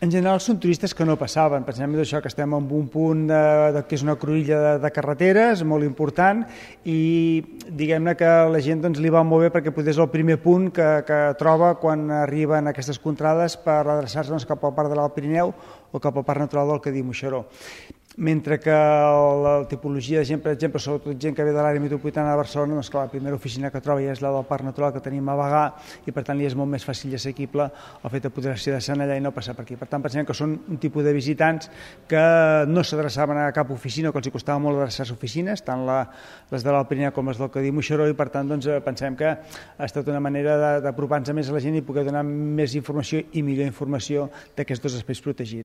En general són turistes que no passaven, pensem d'això que estem en un punt que és una cruïlla de carreteres molt important i diguem-ne que la gent doncs, li va molt bé perquè potser és el primer punt que troba quan arriben aquestes contrades per adreçar-se doncs, cap al Parc de l'Alt Pirineu o cap al Parc Natural del Cadí-Moixeró. Mentre que la tipologia de gent, per exemple, sobretot gent que ve de l'àrea metropolitana de Barcelona, doncs clar, la primera oficina que troba ja és la del Parc Natural que tenim a Bagà i per tant li és molt més fàcil i assequible el fet de poder-se descendre allà i no passar per aquí. Per tant, pensem que són un tipus de visitants que no s'adreçaven a cap oficina, que els costava molt adreçar-se a oficines, tant les de l'Alt Pirineu com les del Cadí-Moixeró, i per tant doncs, pensem que ha estat una manera d'apropar-nos més a la gent i poder donar més informació i millor informació d'aquests dos espais protegits.